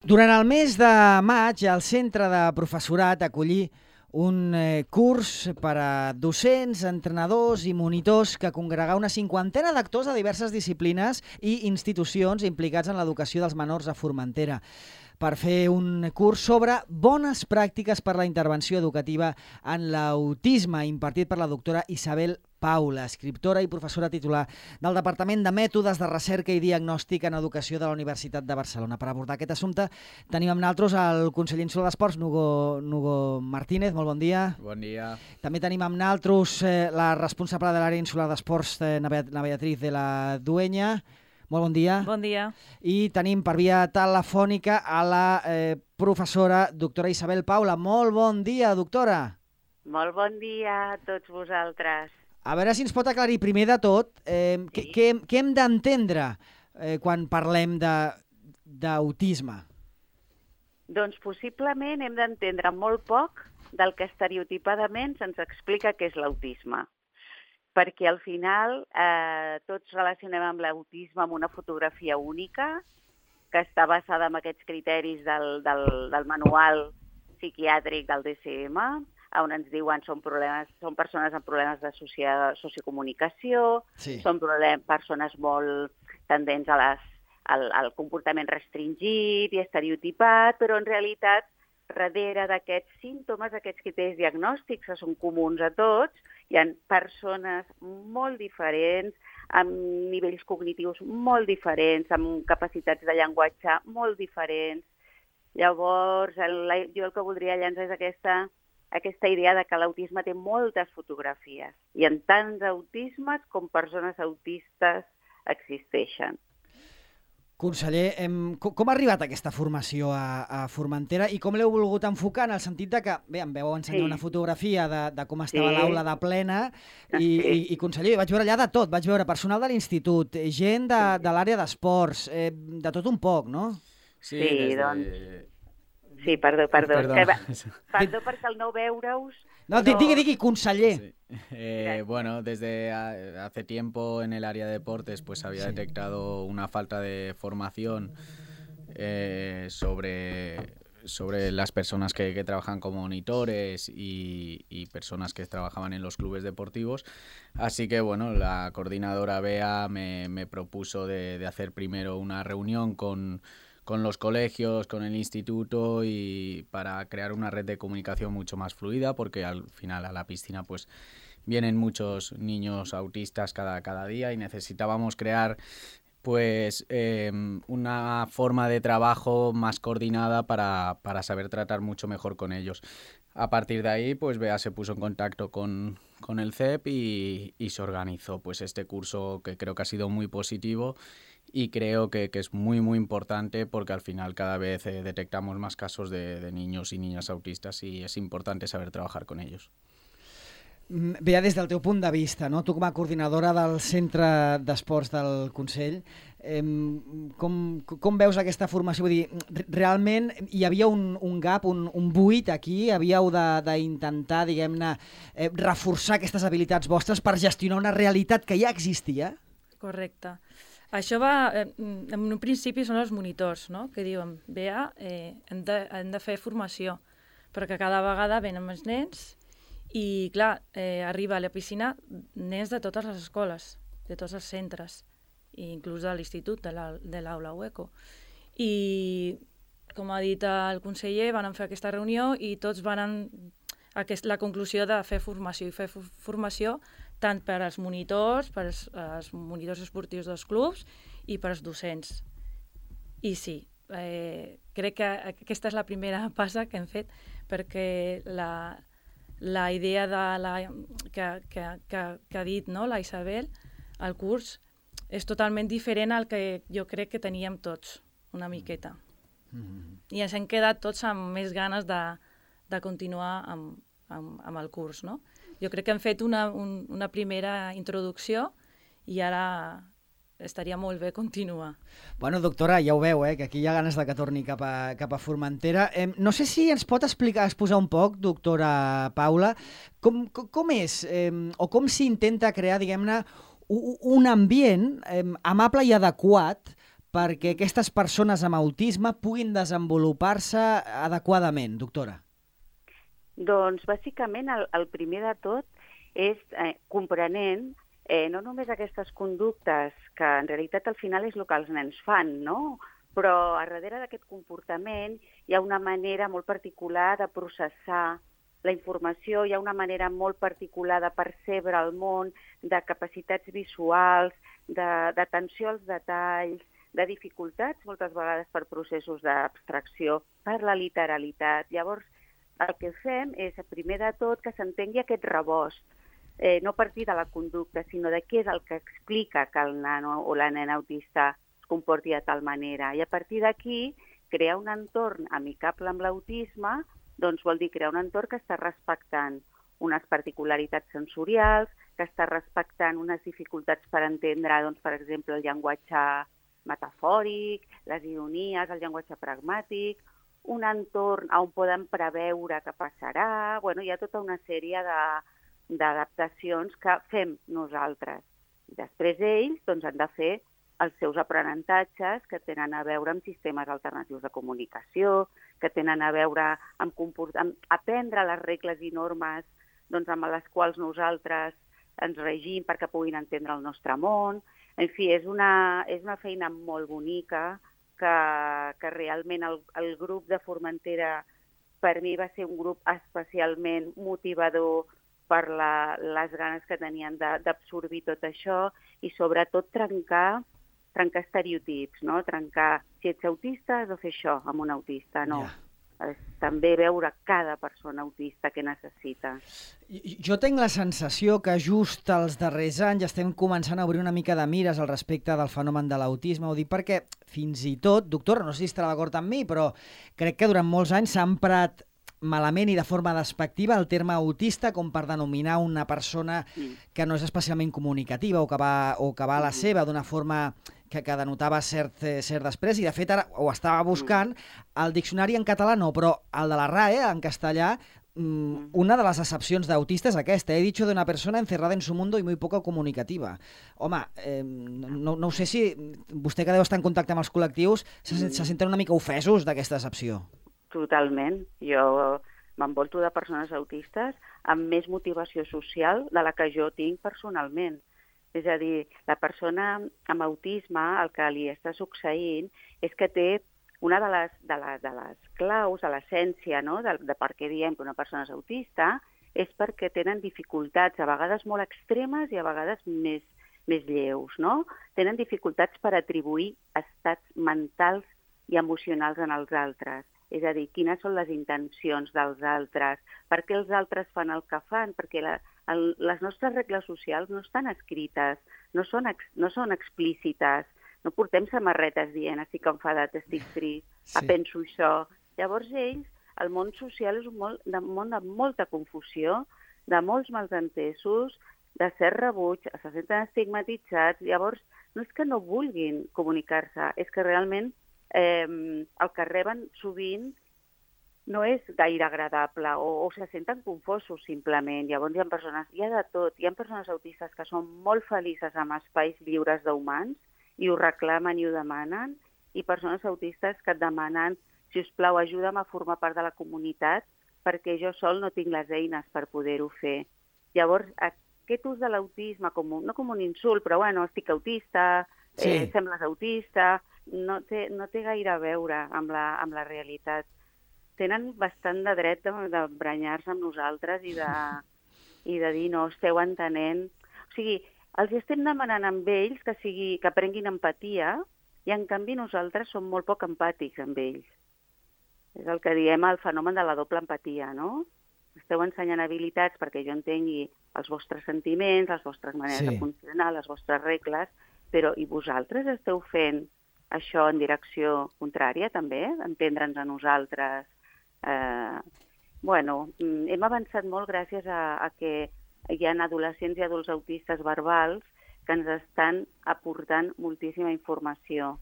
Durant el mes de maig, el Centre de Professorat acollí un curs per a docents, entrenadors i monitors que congregà una cinquantena d'actors de diverses disciplines i institucions implicats en l'educació dels menors a Formentera, per fer un curs sobre bones pràctiques per a la intervenció educativa en l'autisme, impartit per la doctora Isabel Paula, escriptora i professora titular del Departament de Mètodes de Recerca i Diagnòstic en Educació de la Universitat de Barcelona. Per abordar aquest assumpte tenim amb nosaltres el conseller insular d'Esports, Nugo Martínez. Molt bon dia. Bon dia. També tenim amb nosaltres la responsable de l'àrea insular d'Esports, na Beatriz de la Dueña. Molt bon dia. Bon dia. I tenim per via telefònica a la professora doctora Isabel Paula. Molt bon dia, doctora. Molt bon dia a tots vosaltres. A veure si ens pot aclarir primer de tot què hem d'entendre quan parlem d'autisme. Doncs possiblement hem d'entendre molt poc del que estereotipadament se'ns explica que és l'autisme. Perquè al final tots relacionem amb l'autisme amb una fotografia única que està basada en aquests criteris del manual psiquiàtric del DSM, on ens diuen són persones amb problemes de sociocomunicació, sí. Són persones molt tendents al comportament restringit i estereotipat, però en realitat, darrere d'aquests símptomes, aquests criteris diagnòstics que són comuns a tots, hi ha persones molt diferents, amb nivells cognitius molt diferents, amb capacitats de llenguatge molt diferents. Llavors, jo el que voldria llançar és aquesta idea de que l'autisme té moltes fotografies i en tants autismes com persones autistes existeixen. Conseller, com ha arribat aquesta formació a Formentera i com l'heu volgut enfocar en el sentit de que, bé, em vau ensenyar una fotografia de com estava l'aula de plena i conseller, vaig veure allà de tot, vaig veure personal de l'institut, gent de l'àrea d'esports, de tot un poc, no? Sí, doncs... Sí, perdó. Perdó perquè al no veure-us... No, digui, conseller. Sí. Bueno, desde hace tiempo en el área de deportes pues había detectado una falta de formación sobre las personas que trabajan como monitores y personas que trabajaban en los clubes deportivos. Así que, bueno, la coordinadora Bea me propuso de hacer primero una reunión con los colegios, con el instituto y para crear una red de comunicación mucho más fluida, porque al final a la piscina pues vienen muchos niños autistas cada día y necesitábamos crear pues una forma de trabajo más coordinada para saber tratar mucho mejor con ellos. A partir de ahí, pues Bea se puso en contacto con el CEP y se organizó pues este curso que creo que ha sido muy positivo y creo que es muy, muy importante porque al final cada vez detectamos más casos de niños y niñas autistas y es importante saber trabajar con ellos. Bea, des del teu punt de vista, no? Tu com a coordinadora del Centre d'Esports del Consell, com veus aquesta formació? Vull dir, realment hi havia un gap, un buit aquí? Havíeu d'intentar, diguem-ne, reforçar aquestes habilitats vostres per gestionar una realitat que ja existia? Correcte. Això va, en un principi són els monitors, no? Que diuen, Bea, hem de fer formació, perquè cada vegada venen més nens i, clar, arriba a la piscina nens de totes les escoles, de tots els centres, inclús de l'institut, de l'aula UECO. I, com ha dit el conseller, van fer aquesta reunió i tots van a la conclusió de fer formació, i fer formació tant per als monitors, per als monitors esportius dels clubs i per als docents. I sí, crec que aquesta és la primera passa que hem fet, perquè la idea que ha dit, no, la Isabel, el curs, és totalment diferent al que jo crec que teníem tots, una miqueta. I ens hem quedat tots amb més ganes de continuar amb el curs, no? Jo crec que hem fet una primera introducció i ara estaria molt bé continuar. Bueno, doctora, ja ho veu, que aquí hi ha ganes de que torni cap a Formentera. No sé si ens pot exposar un poc, doctora Paula, com és o com s'intenta crear, diguem-ne, un ambient amable i adequat perquè aquestes persones amb autisme puguin desenvolupar-se adequadament, doctora? Doncs, bàsicament, el primer de tot és comprenent no només aquestes conductes, que en realitat al final és el que els nens fan, no? Però a darrere d'aquest comportament hi ha una manera molt particular de processar la informació, hi ha una manera molt particular de percebre el món, de capacitats visuals, d'atenció als detalls, de dificultats moltes vegades per processos d'abstracció, per la literalitat. Llavors, el que fem és, primer de tot, que s'entengui aquest rebost, no a partir de la conducta, sinó de què és el que explica que el nano o la nena autista es comporti de tal manera. I a partir d'aquí, crear un entorn amicable amb l'autisme, doncs vol dir crear un entorn que està respectant unes particularitats sensorials, que està respectant unes dificultats per entendre, doncs, per exemple, el llenguatge metafòric, les ironies, el llenguatge pragmàtic, un entorn on poden preveure què passarà. Bueno, hi ha tota una sèrie d'adaptacions que fem nosaltres. I després ells doncs, han de fer els seus aprenentatges que tenen a veure amb sistemes alternatius de comunicació, que tenen a veure amb aprendre les regles i normes doncs, amb les quals nosaltres ens regim perquè puguin entendre el nostre món. En fi, és una feina molt bonica que realment el grup de Formentera per mi va ser un grup especialment motivador per les ganes que tenien d'absorbir tot això i sobretot trencar estereotips, no? Trencar, si ets autista has de fer això amb un autista, no. Yeah. També veure cada persona autista que necessita. Jo tinc la sensació que just els darrers anys estem començant a obrir una mica de mires al respecte del fenomen de l'autisme. Ho dic perquè fins i tot, doctora, no sé si estarà d'acord amb mi, però crec que durant molts anys s'ha emprat malament i de forma despectiva el terme autista com per denominar una persona que no és especialment comunicativa o que va a la seva d'una forma que denotava cert després, i de fet ara ho estava buscant, el diccionari en català no, però el de la RAE, en castellà, una de les accepcions d'autista és aquesta: he dicho de una persona encerrada en su mundo y muy poco comunicativa. Home, no sé si vostè, que deu estar en contacte amb els col·lectius, se senten una mica ofesos d'aquesta accepció. Totalment. Jo m'envolto de persones autistes amb més motivació social de la que jo tinc personalment. És a dir, la persona amb autisme, el que li està succeint és que té una de les claus, de l'essència, no? de per què diem que una persona és autista, és perquè tenen dificultats, a vegades molt extremes i a vegades més lleus, no? Tenen dificultats per atribuir estats mentals i emocionals en els altres. És a dir, quines són les intencions dels altres, per què els altres fan el que fan, perquè les nostres regles socials no estan escrites, no són explícites, no portem samarretes dient estic enfadat, estic trist, penso això. Llavors ells, el món social és un món de molta confusió, de molts malentesos, de cert rebuig, se senten estigmatitzats. Llavors no és que no vulguin comunicar-se, és que realment el que reben sovint no és gaire agradable o se senten confosos simplement. Llavors hi ha de tot. Hi ha persones autistes que són molt felices amb espais lliures d'humans i ho reclamen i ho demanen, i persones autistes que et demanen, si us plau, ajuda'm a formar part de la comunitat perquè jo sol no tinc les eines per poder-ho fer. Llavors, aquest ús de l'autisme, no com un insult, però bueno, estic autista, sembles autista, no té gaire a veure amb la realitat. Tenen bastant de dret d'emprenyar-se amb nosaltres i de dir no, esteu entenent. O sigui, els estem demanant amb ells que prenguin empatia i en canvi nosaltres som molt poc empàtics amb ells. És el que diem el fenomen de la doble empatia, no? Esteu ensenyant habilitats perquè jo entengui els vostres sentiments, les vostres maneres de funcionar, les vostres regles, però i vosaltres esteu fent això en direcció contrària també? Entendre'ns a nosaltres? Hem avançat molt gràcies a que hi ha adolescents i adults autistes verbals que ens estan aportant moltíssima informació.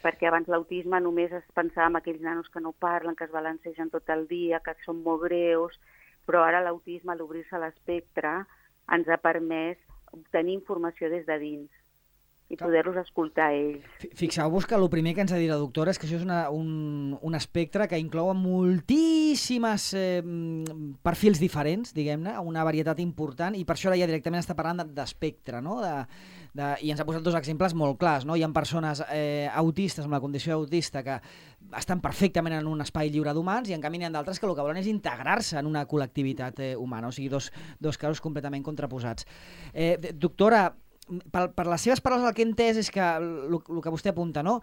Perquè abans l'autisme només es pensava en aquells nanos que no parlen, que es balancegen tot el dia, que són molt greus, però ara l'autisme, a l'obrir-se a l'espectre, ens ha permès obtenir informació des de dins. i poder-los escoltar a ells. Fixeu-vos que el primer que ens ha dit la doctora és que això és un espectre que inclou moltíssimes perfils diferents, diguem-ne, una varietat important, i per això ara ja directament està parlant d'espectre, no? I ens ha posat dos exemples molt clars, no? Hi ha persones autistes, amb la condició autista, que estan perfectament en un espai lliure d'humans, i en canvi n'hi ha d'altres que el que volen és integrar-se en una col·lectivitat humana, o sigui, dos casos completament contraposats. Doctora, per les seves paraules el que he entès és que el que vostè apunta, no?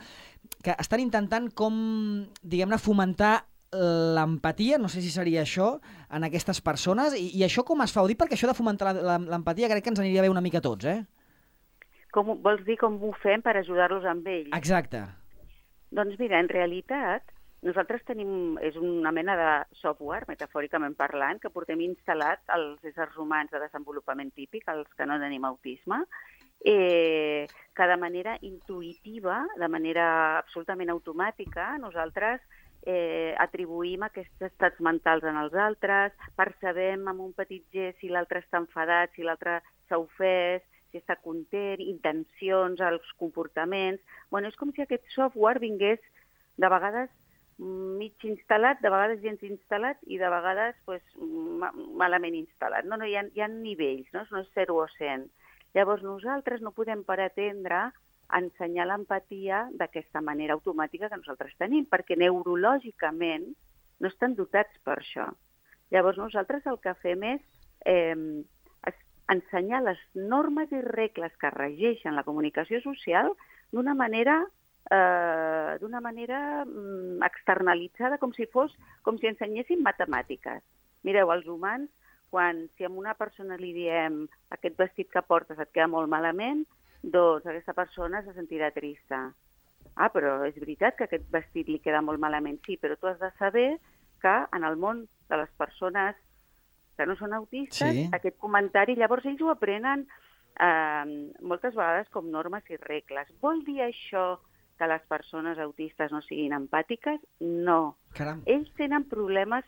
Que estan intentant com, diguem-ne, fomentar l'empatia, no sé si seria això, en aquestes persones, i això com es fa? Ho dic perquè això de fomentar l'empatia crec que ens aniria bé una mica a tots, eh? Vols dir com ho fem per ajudar-los amb ells? Exacte. Doncs mira, en realitat, nosaltres tenim, és una mena de software, metafòricament parlant, que portem instal·lat als éssers humans de desenvolupament típic, els que no tenim autisme, que de manera intuïtiva, de manera absolutament automàtica, nosaltres atribuïm aquests estats mentals en els altres, percebem amb un petit gest si l'altre està enfadat, si l'altre s'ha ofès, si està content, intencions, els comportaments. Bueno, és com si aquest software vingués de vegades mig instal·lat, de vegades gens instal·lat i de vegades malament instal·lat. No, hi ha nivells, no és 0 o 100. Llavors nosaltres no podem pretendre ensenyar l'empatia d'aquesta manera automàtica que nosaltres tenim, perquè neurològicament no estan dotats per això. Llavors nosaltres el que fem és ensenyar les normes i regles que regeixen la comunicació social d'una manera externalitzada, com si ensenyéssim matemàtiques. Mireu, els humans, si a una persona li diem aquest vestit que portes et queda molt malament, doncs aquesta persona se sentirà trista. Però és veritat que aquest vestit li queda molt malament, sí, però tu has de saber que en el món de les persones que no són autistes, sí, aquest comentari, llavors ells ho aprenen moltes vegades com normes i regles. Vol dir això que les persones autistes no siguin empàtiques? No. Caram. Ells tenen problemes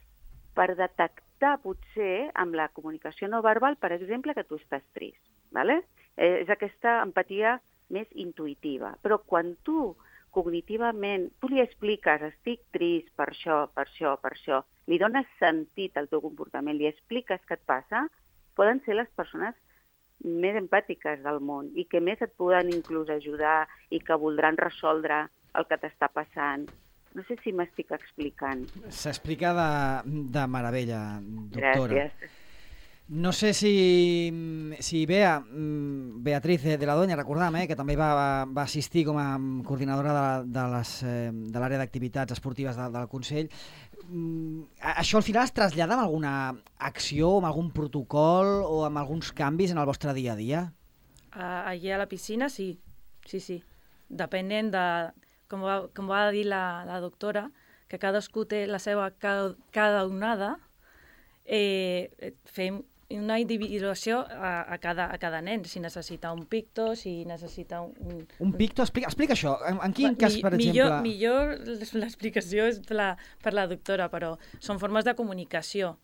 per detectar, potser, amb la comunicació no verbal, per exemple, que tu estàs trist. ¿Vale? És aquesta empatia més intuïtiva. Però quan tu, cognitivament, tu li expliques, estic trist per això, per això, per això, li dones sentit al teu comportament, li expliques què et passa, poden ser les persones més empàtiques del món i que més et poden inclús ajudar i que voldran resoldre el que t'està passant. No sé si m'estic explicant. S'explica de meravella, doctora. Gràcies. No sé si Beatriz de la Doña, recordam, que també va assistir com a coordinadora de l'àrea d'activitats esportives del Consell. Això al final es trasllada amb alguna acció, amb algun protocol o amb alguns canvis en el vostre dia a dia? Allà a la piscina, sí. Depenent de, com va dir la doctora, que cadascú té la seva cada onada, fem una individuació a cada nen, si necessita un picto, si necessita un picto? Explica això. En quin cas, per exemple? Millor l'explicació és per la doctora, però són formes de comunicació.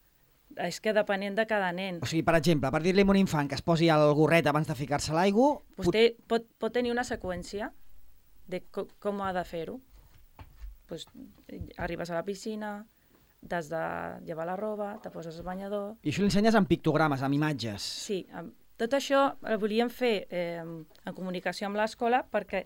És que depenent de cada nen. O sigui, per exemple, per dir-li a un infant que es posi el gorret abans de ficar-se a l'aigua... Vostè pot tenir una seqüència de com ha de fer-ho. Arribes a la piscina, t'has de llevar la roba, te poses el banyador... I això l'ensenyes amb pictogrames, amb imatges. Sí, tot això el volíem fer en comunicació amb l'escola perquè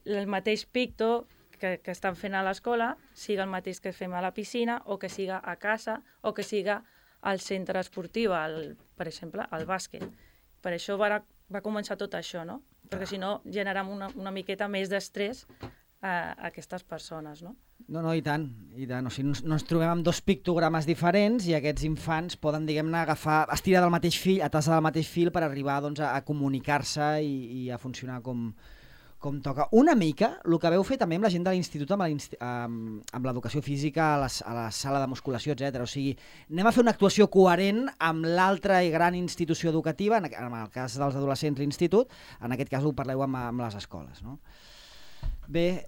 el mateix picto que estan fent a l'escola siga el mateix que fem a la piscina o que siga a casa o que siga al centre esportiu, per exemple, al bàsquet. Per això va començar tot això, no? Perquè si no generem una miqueta més d'estrès a aquestes persones, no? No, i tant. O sigui, no ens trobem amb dos pictogrames diferents i aquests infants poden, diguem-ne, estirar del mateix fil, atasar del mateix fil per arribar a comunicar-se i a funcionar com toca. Una mica el que veu fer també amb la gent de l'institut, amb l'educació física, a la sala de musculació, etc. O sigui, anem a fer una actuació coherent amb l'altra gran institució educativa, en el cas dels adolescents l'institut, en aquest cas ho parleu amb les escoles, no? Bé,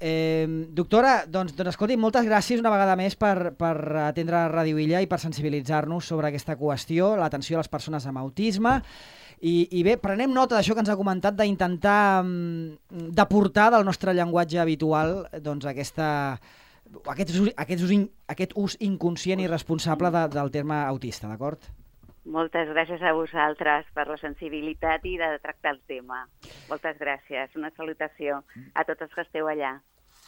doctora, doncs escolti, moltes gràcies una vegada més per atendre Ràdio Illa i per sensibilitzar-nos sobre aquesta qüestió, l'atenció a les persones amb autisme. I bé, prenem nota d'això que ens ha comentat, d'intentar deportar del nostre llenguatge habitual doncs aquest ús inconscient i responsable del terme autista, d'acord? Moltes gràcies a vosaltres per la sensibilitat i de tractar el tema. Moltes gràcies. Una salutació a tots els que esteu allà.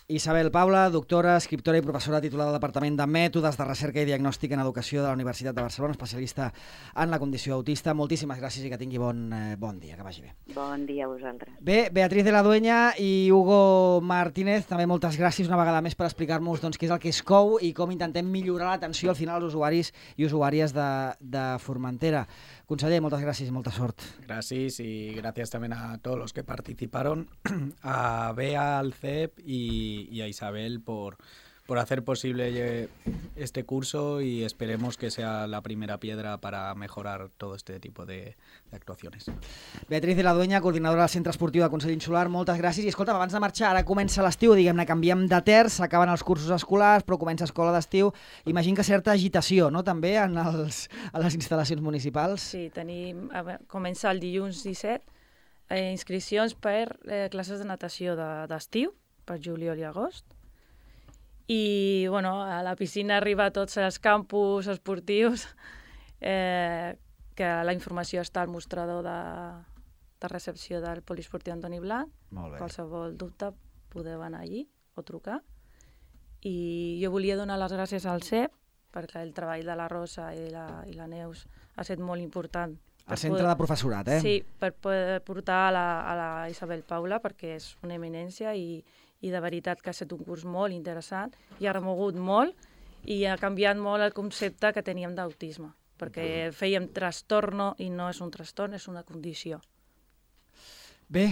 Isabel Paula, doctora, escriptora i professora titular del Departament de Mètodes de Recerca i Diagnòstic en Educació de la Universitat de Barcelona, especialista en la condició autista. Moltíssimes gràcies i que tingui bon dia, que vagi bé. Bon dia a vosaltres. Bé, Beatriz de la Dueña i Hugo Martínez, també moltes gràcies una vegada més per explicar-nos què és el que és COU i com intentem millorar l'atenció al final als usuaris i usuàries de Formentera. Conseller, moltes gràcies i molta sort. Gracias y gracias también a todos los que participaron, a Bea, al CEP y a Isabel por hacer posible este curso y esperemos que sea la primera piedra para mejorar todo este tipo de actuaciones. Beatriz de la Dueña, coordinadora del Centre Esportiu de Consell Insular, moltes gràcies. I escolta, abans de marxar, ara comença l'estiu, diguem-ne, canviem de terç, s'acaben els cursos escolars, però comença escola d'estiu. Imagino que certa agitació, no?, també a les instal·lacions municipals. Sí, comença el dilluns 17, inscripcions per classes de natació d'estiu, per juliol i agost. I a la piscina arriba a tots els campus esportius, que la informació està al mostrador de recepció del poliesportiu Antoni Blanc. Qualsevol dubte podeu anar allí o trucar. I jo volia donar les gràcies al CEP, perquè el treball de la Rosa i la Neus ha estat molt important. El centre de professorat, eh? Sí, per poder portar a la Isabel Paula, perquè és una eminència i de veritat que ha estat un curs molt interessant i ha remogut molt i ha canviat molt el concepte que teníem d'autisme, perquè fèiem trastorno i no és un trastorn, és una condició. Bé,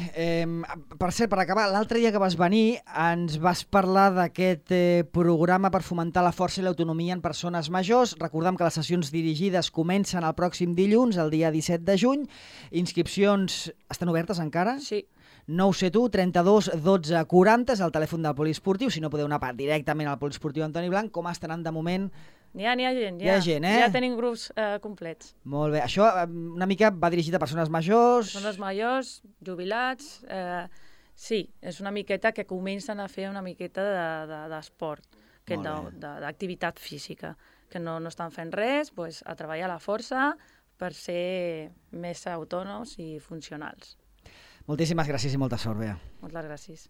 per cert, per acabar, l'altre dia que vas venir ens vas parlar d'aquest programa per fomentar la força i l'autonomia en persones majors. Recordem que les sessions dirigides comencen el pròxim dilluns, el dia 17 de juny. Inscripcions estan obertes encara? Sí. 971 32 12 40 és el telèfon del poliesportiu, si no podeu anar directament al poliesportiu Antoni Blanc. Com estan anant de moment? N'hi ha gent, Hi ha gent, eh? Ja tenim grups complets. Molt bé. Això una mica va dirigit a persones majors? Persones majors, jubilats... Sí, és una miqueta que comencen a fer una miqueta d'esport, d'activitat física, que no estan fent res, a treballar a la força per ser més autònoms i funcionals. Moltíssimes gràcies i molta sort, Bea. Moltes gràcies.